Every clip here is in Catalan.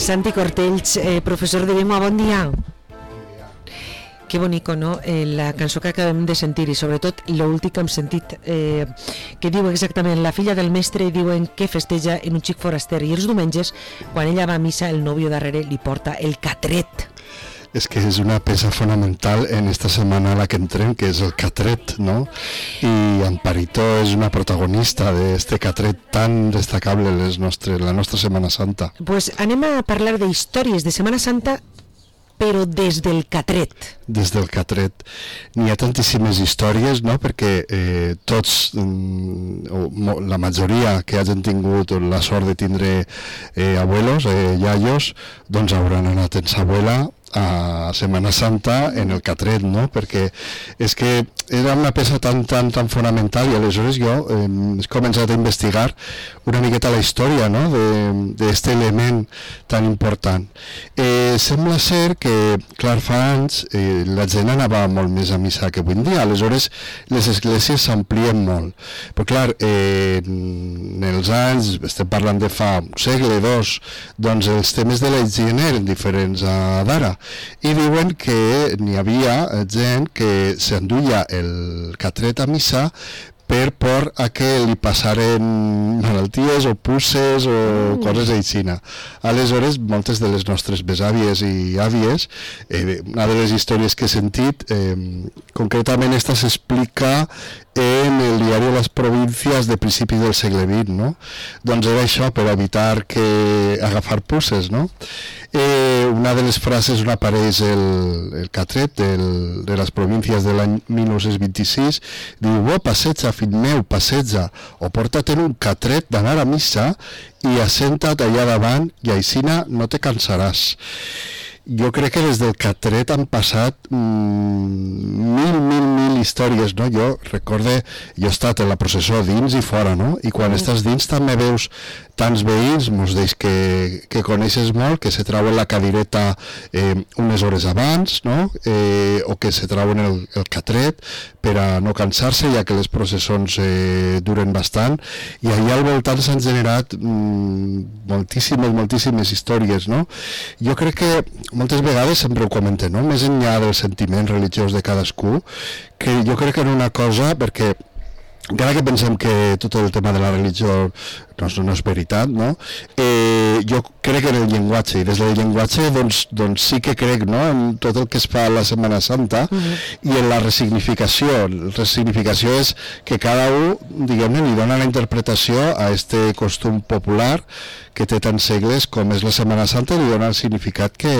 Santi Cortells, professor de llengua, bon dia. Que bonico, no? La cançó que acabem de sentir i sobretot l'últim que hem sentit que diu exactament la filla del mestre i diuen que festeja en un xic foraster i els diumenges quan ella va a missa el nòvio darrere li porta el catret. És que és una peça fonamental en esta setmana a la que entrem, que és el catret, no? I Amparito és una protagonista d'este catret tan destacable en la nostra Setmana Santa. Pues anem a parlar de històries de Setmana Santa, però des del catret. Des del catret. N'hi ha tantíssimes històries, no? Perquè tots, la majoria que hagin tingut la sort de tindre abuelos, iaios, doncs hauran anat en sa abuela a Setmana Santa en el catret, no? Perquè és que era una peça tan fonamental i aleshores jo he començat a investigar una miqueta la història, no? D'este element tan important. Sembla ser que, clar, fa anys la gent anava molt més a missa que avui en dia, aleshores les esglésies s'amplien molt. Però clar, en els anys, estem parlant de fa un segle, dos, doncs els temes de la higiene eren diferents a d'ara. I diuen que n'hi havia gent que s'enduia el catret a missa per por a que li passaren malalties o pusses o coses aixina. Aleshores, moltes de les nostres besàvies i àvies, una de les històries que he sentit, concretament esta s'explica en el diari de les províncies de principis del segle XX, no? Doncs era això, per evitar agafar pusses, no? Una de les frases on apareix el catret de les províncies de l'any 1926 diu: passeja, fill meu, passeja, o porta't un catret d'anar a missa i assenta't allà davant i aixina no te cansaràs. Jo crec que des del catret han passat mil històries, no? Jo recorde, jo he estat en la processó dins i fora, no? I quan estàs dins també veus tants veïns, mos deis que coneixes molt, que se trauen la cadireta unes hores abans, no? O que se trauen el catret per a no cansar-se, ja que les processons duren bastant, i allà al voltant s'han generat moltíssimes històries, no? Jo crec que moltes vegades sempre ho comenten, no? Més enllà del sentiment religiós de cadascú, que jo crec que era una cosa, perquè encara que pensem que tot el tema de la religió no és veritat, no? Jo crec en el llenguatge, i des del llenguatge doncs sí que crec, no? En tot el que es fa a la Setmana Santa i en la resignificació. La resignificació és que cada un, diguem-ne, li dona la interpretació a este costum popular que té tants segles com és la Setmana Santa, i li dona el significat que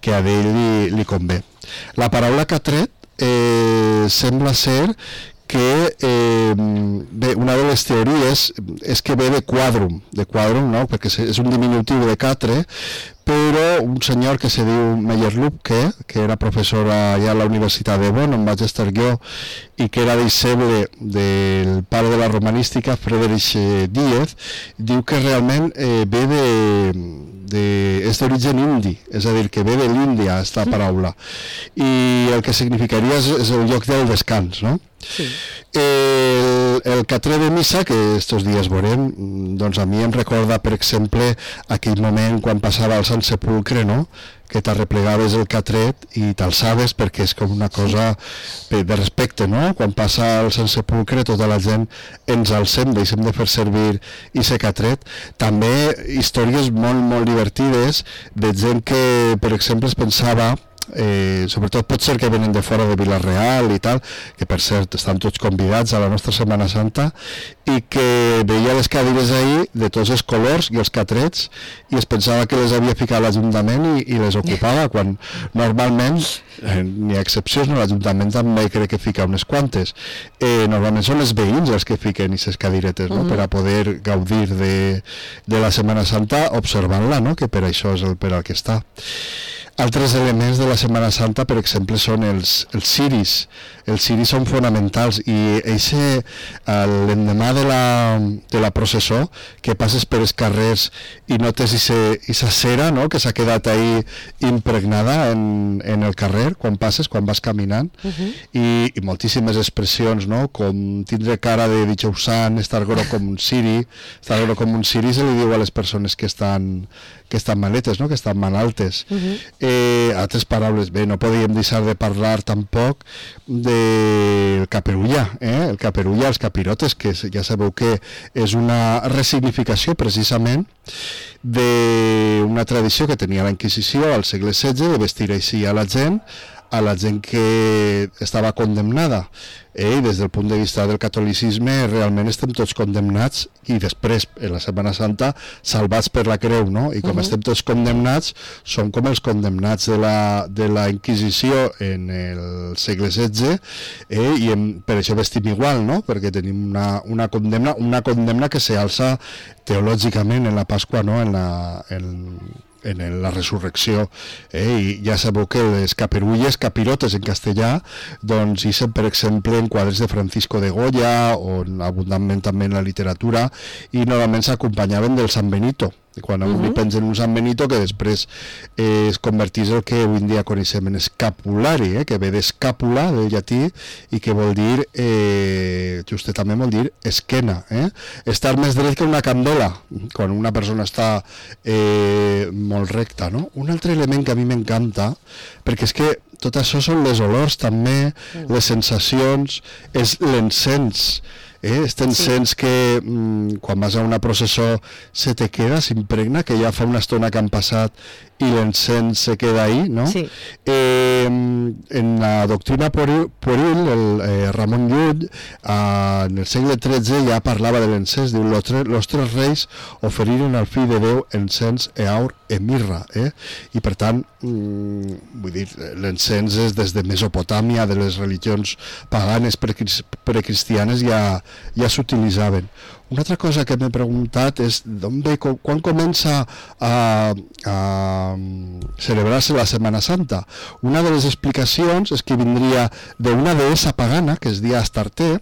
a ell li convé. La paraula catret sembla ser que una de les teories és que ve de quadrum, no? Perquè és un diminutiu de catre, però un senyor que se diu Meyer-Lübke, que era professor allà a la Universitat de Bonn, on vaig estar jo, i que era deixeble del pare de la romanística, Friedrich Diez, diu que realment ve és d'origen indi, és a dir, que ve de l'Índia, aquesta paraula, i el que significaria és el lloc del descans, no? Sí. El catret de missa, que estos dies veurem, doncs a mi em recorda, per exemple, aquell moment quan passava al Sant Sepulcre, no? Que t'arreplegaves el catret i t'alçaves, perquè és com una cosa de respecte, no? Quan passa al Sant Sepulcre tota la gent ens alcem, deixem de fer servir aquest catret. També històries molt divertides de gent que, per exemple, es pensava, sobretot pot ser que venen de fora de Vila-real i tal, que per cert estan tots convidats a la nostra Setmana Santa, i que veia les cadires ahí de tots els colors i els catrets i es pensava que les havia ficat l'Ajuntament i les ocupava, quan normalment n'hi ha excepcions, no? L'Ajuntament també crec que fica unes quantes. Normalment són els veïns els que fiquen aquestes cadiretes, no? Per a poder gaudir de la Setmana Santa observant-la, no? Que per això és per al que està. Altres elements de la Setmana Santa, per exemple, són els ciris. Els ciris són fonamentals i l'endemà de la processó, que passes per els carrers i notes aquesta cera, no? Que s'ha quedat ahí impregnada en el carrer quan passes, quan vas caminant, i moltíssimes expressions, no? Com tindre cara de dijous sant, estar gros com un ciri. Estar gros com un ciri se li diu a les persones que estan estan maletes, no? Que estan malaltes. Altres paraules, bé, no podíem deixar de parlar tampoc del caperulla, el caperulla, els capirotes, que ja sabeu que és una resignificació precisament d'una tradició que tenia la Inquisició al segle XVI de vestir així a la gent que estava condemnada. I des del punt de vista del catolicisme realment estem tots condemnats i després, en la Setmana Santa, salvats per la creu, no? I com estem tots condemnats, som com els condemnats de la Inquisició en el segle XVI, i per això vestim igual, no? Perquè tenim una condemna que s'alça teològicament en la Pasqua, no? En la resurrecció, i ja sabeu que les caperulles, capirotes en castellà, doncs ixen, per exemple, en quadres de Francisco de Goya o abundantment també en la literatura, i normalment s'acompanyaven del San Benito, quan avui pensen un San Benito que després es convertís el que avui en dia coneixem en escapulari, que ve d'escàpula, del llatí, i que vol dir, justament vol dir esquena, estar més dret que una candela, quan una persona està molt recta, no? Un altre element que a mi m'encanta, perquè és que tot això són les olors també, les sensacions, és l'encens, este encens que quan vas a una processó se te queda, s'impregna, que ja fa una estona que han passat i l'encens se queda ahí, ¿no? Sí. En la doctrina pueril, Ramon Llull, en el segle XIII ja parlava de l'encens, diu, los tres reis oferiren al fill de Déu encens, eaur e mirra, i per tant, vull dir, l'encens és des de Mesopotàmia, de les religions paganes precristianes ja s'utilitzaven. Una altra cosa que m'he preguntat és d'on ve, quan comença a celebrar-se la Setmana Santa. Una de les explicacions és que vindria d'una deessa pagana, que es deia Astarte,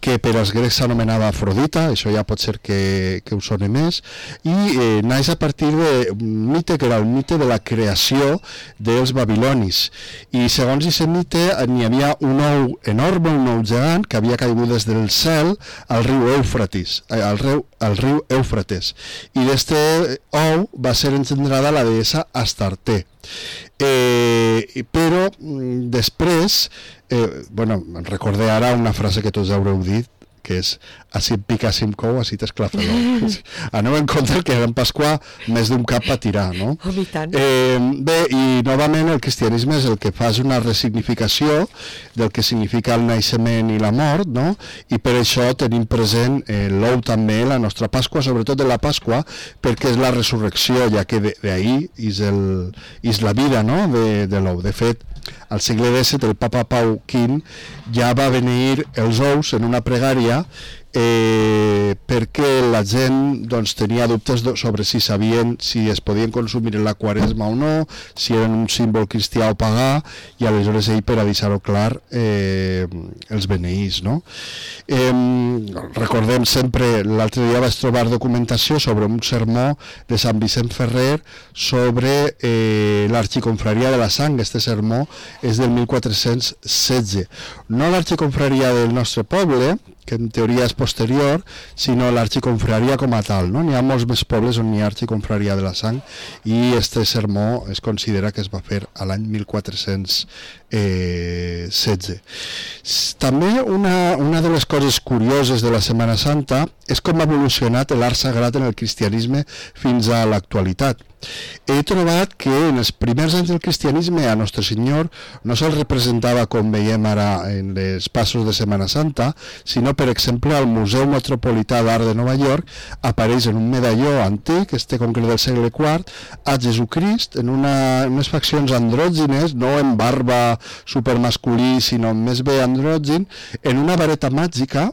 que per als grecs s'anomenava Afrodita, això ja pot ser que us soni més, i naix a partir d'un mite que era el mite de la creació dels babilonis. I segons aquest mite n'hi havia un ou enorme, un ou gegant, que havia caigut des del cel al riu Eufrates, al riu Eufrates, i d'este ou va ser engendrada la deessa Astarte. Però després, recordé ara una frase que tots haureu dit, que és així em pica, així em cou, així t'esclafa. Aneu en compte que en Pasqua més d'un cap a tirar, no? Bé, i novament el cristianisme és el que fa una resignificació del que significa el naixement i la mort, no? I per això tenim present l'ou també, la nostra Pasqua, sobretot de la Pasqua, perquè és la resurrecció, ja que d'ahir és la vida, no? De l'ou. De fet, al segle XVII el papa Pau V ja va beneir els ous en una pregària perquè la gent tenia dubtes sobre si es podien consumir en la Quaresma o no, si eren un símbol cristià o pagà, i aleshores ell, per a deixar-ho clar, els beneís, no? Recordem sempre, l'altre dia vaig trobar documentació sobre un sermó de Sant Vicent Ferrer sobre l'Arxiconfraria de la Sang. Este sermó és del 1416, no l'Arxiconfraria del nostre poble, que en teoria és posterior, sinó l'Arxiconfraria com a tal, no? N'hi ha molts més pobles on hi ha Arxiconfraria de la Sang, i este sermó es considera que es va fer a l'any 1416. També una de les coses curioses de la Setmana Santa és com ha evolucionat l'art sagrat en el cristianisme fins a l'actualitat. He trobat que en els primers anys del cristianisme a Nostre Senyor no se'l representava com veiem ara en les passos de Setmana Santa, sinó, per exemple, al Museu Metropolità d'Art de Nova York apareix en un medalló antic, concret del segle IV, a Jesucrist en unes faccions andrògines, no en barba supermasculí, sinó més bé andrògin, en una vareta màgica,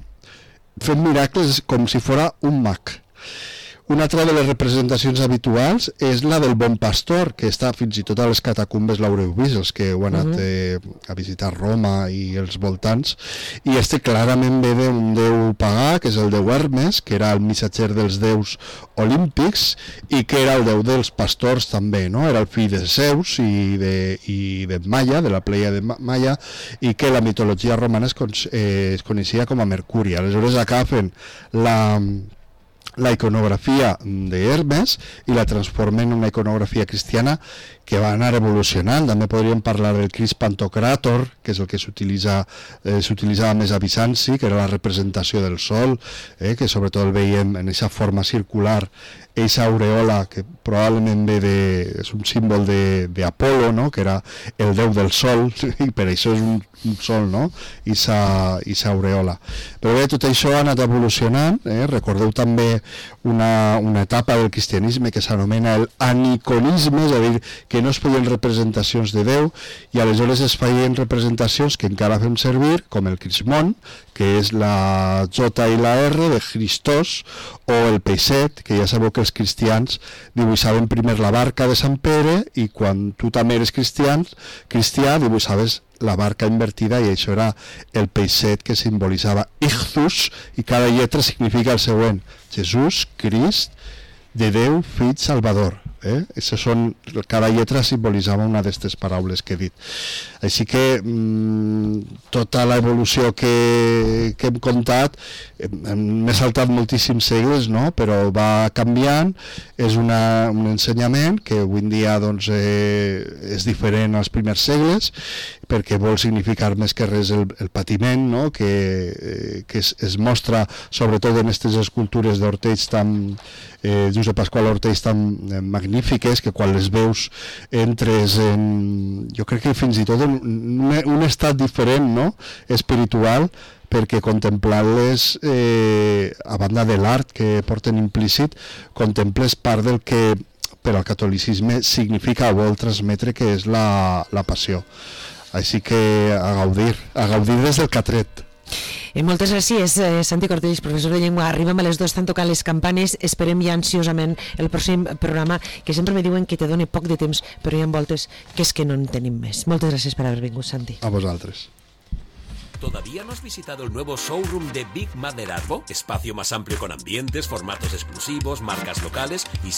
fent miracles com si fos un mag. Una altra de les representacions habituals és la del Bon Pastor, que està fins i tot a les catacumbes l'haureu vist, els que heu anat a visitar Roma i els voltants, i clarament ve d'un déu pagà, que és el déu Hermes, que era el missatger dels déus olímpics, i que era el déu dels pastors també, no? Era el fill de Zeus i de Maia, de la pleia de Maia, i que la mitologia romana es coneixia com a Mercuri. Aleshores agafen la iconografia d'Hermes i la transformen en una iconografia cristiana que va anar evolucionant. També podríem parlar del Crist Pantocràtor, que és el que s'utilitzava més a Bizanci, que era la representació del sol, que sobretot el veiem en aquesta forma circular, aquesta aureola que probablement és un símbol d'Apolo, no? Que era el déu del sol, i per això és un sol, no? I sa aureola. Però bé, tot això ha anat evolucionant. Recordeu també una etapa del cristianisme que s'anomena el aniconisme, és a dir, que no es feien representacions de Déu, i aleshores es feien representacions que encara fem servir, com el crismón, que és la J i la R de Christos, o el peixet, que ja sabeu que els cristians dibuixaven primer la barca de Sant Pere, i quan tu també eres cristià dibuixaves la barca invertida, i això era el peixet, que simbolitzava Ichthus, i cada lletra significa el següent: Jesús, Crist, de Déu, Fill, Salvador. Cada lletra simbolitzava una d'aquestes paraules que he dit. Així que tota l'evolució que hem contat, m'he saltat moltíssims segles, no? Però va canviant. És un ensenyament que avui en dia doncs, és diferent als primers segles, perquè vol significar més que res el patiment, no? que es mostra sobretot en aquestes escultures d'Ortells Josep Pasqual Ortells tan magnífiques, que quan les veus entres en, jo crec que fins i tot en un estat diferent, no? Espiritual, perquè contemplar-les, a banda de l'art que porten implícit, contemples part del que per al catolicisme significa o vol transmetre, que és la passió. Així que a gaudir des del Catret. Moltes gràcies, Santi Cortells, professor de llengua. Arribem a les 2, estan tocant les campanes. Esperem ja ansiosament el pròxim programa, que sempre me diuen que te doni poc de temps, però hi ha voltes que és que no en tenim més. Moltes gràcies per haver vingut, Santi. A vosaltres. ¿Todavía no has visitado el nuevo showroom de Big Mother Arbo? Espacio más amplio con ambientes, formatos exclusivos, marcas locales y